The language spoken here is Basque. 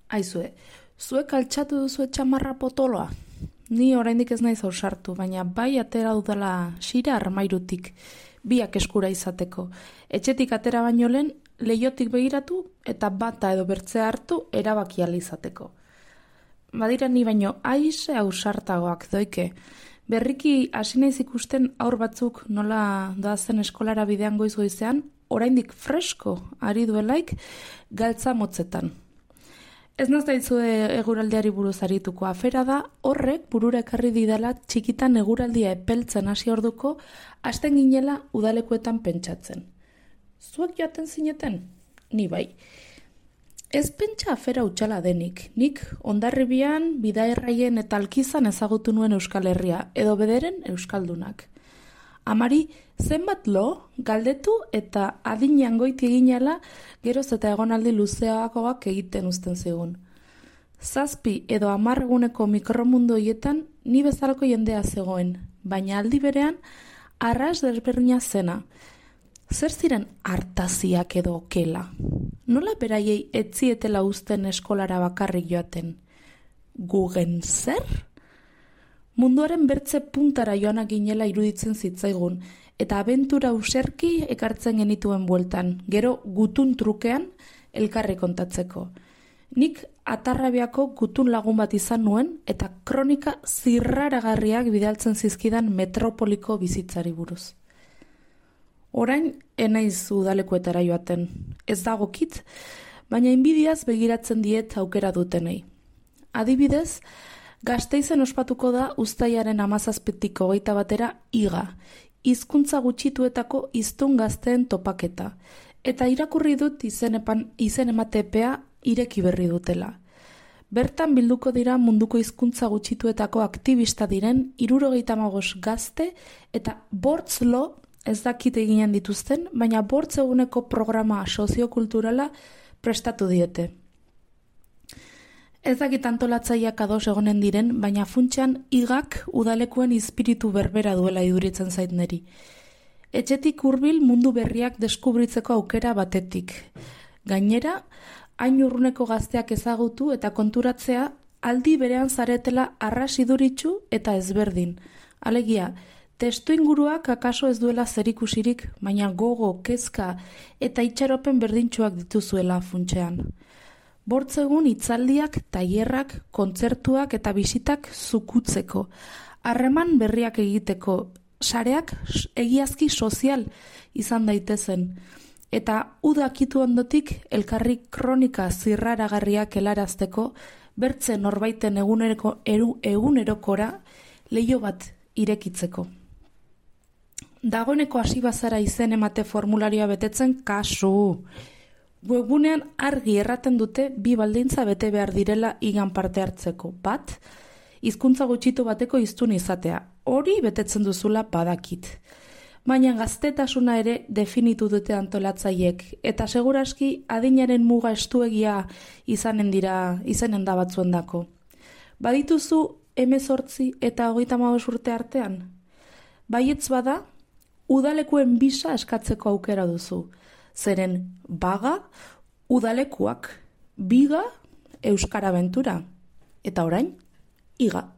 Aizue, zuek altxatu duzu txamarra potoloa? Ni oraindik ez naiz ausartu, baina bai atera dudala xira armairutik, biak eskura izateko. Etxetik atera baino lehen, leiotik begiratu eta bata edo bertzea hartu erabaki ahal izateko. Badira ni baino aize ausartagoak doike. Berriki hasi naiz ikusten aur batzuk nola doazen eskolara bidean goiz-goizean, oraindik fresko ari duelaik galtza motzetan. Ez nazaizue eguraldiari buruz arituko, afera da horrek burura ekarri didala txikitan eguraldia epeltzen hasi orduko hasten ginela udalekuetan pentsatzen. Zuek joaten zineten? Ni bai. Ez pentsa afera utxala denik. Nik Hondarribian, Bidaerraien eta Alkizan ezagutu nuen Euskal Herria, edo bederen Euskaldunak. Amari, zenbat lo, galdetu eta adinean goiti eginala geroz eta egonaldi luzeagoak egiten uzten zigun. 7 edo 10 eguneko mikromundu hoietan ni bezalako jendea zegoen, baina aldi berean arras desberdina zena. Zer ziren hartaziak edo okela? Nola beraiei etzietela uzten eskolara bakarrik joaten? Gugen zer? Munduaren bertze puntara joanak ginela iruditzen zitzaigun, eta abentura userki ekartzen genituen bueltan, gero gutun trukean elkarri kontatzeko. Nik Atarrabiako gutun lagun bat izan nuen, eta kronika zirraragarriak bidaltzen zizkidan metropoliko bizitzari buruz. Orain enaiz udalekuetara joaten, ez dagokit, baina inbidiaz begiratzen diet aukera dutenei. Adibidez, Gasteizen ospatuko da uztailaren 17tik 21 iga, hizkuntza gutxituetako hiztun gazteen topaketa, eta irakurri dut izen emate epea ireki berri dutela. Bertan bilduko dira munduko hizkuntza gutxituetako aktivista diren 75 gazte eta bortzlo ez dakit eginen dituzten, baina bortz eguneko programa soziokulturala prestatu diete. Ez dakit antolatzaileak ados egonen diren, baina funtsean igak udalekuen izpiritu berbera duela iduritzen zait neri. Etxetik hurbil mundu berriak deskubritzeko aukera batetik. Gainera, hain urruneko gazteak ezagutu eta konturatzea aldi berean zaretela arras iduritsu eta ezberdin. Alegia, testu inguruak akaso ez duela zerikusirik, baina gogo, kezka eta itxaropen berdintsuak dituzuela funtsean. Bortzegun hitzaldiak, tailerrak, kontzertuak eta bisitak zukutzeko, harreman berriak egiteko, sareak egiazki sozial izan daitezen, eta udakitu ondotik elkarri kronika zirraragarriak helarazteko, bertze norbaiten egunerokora leiho bat irekitzeko. Dagoeneko hasi bazara izen emate formularioa betetzen kasu. Webgunean argi erraten dute 2 baldintza bete behar direla igan parte hartzeko. Bat, hizkuntza gutxitu bateko hiztun izatea. Hori betetzen duzula badakit. Baina gaztetasuna ere definitu dute antolatzaiek, eta seguraski adinaren muga estuegia izanen da batzuendako. Badituzu 18 eta 35 urte artean? Baietz bada, udalekuen bisa eskatzeko aukera duzu. Zeren baga, udalekuak, biga, euskara abentura. Eta orain, iga.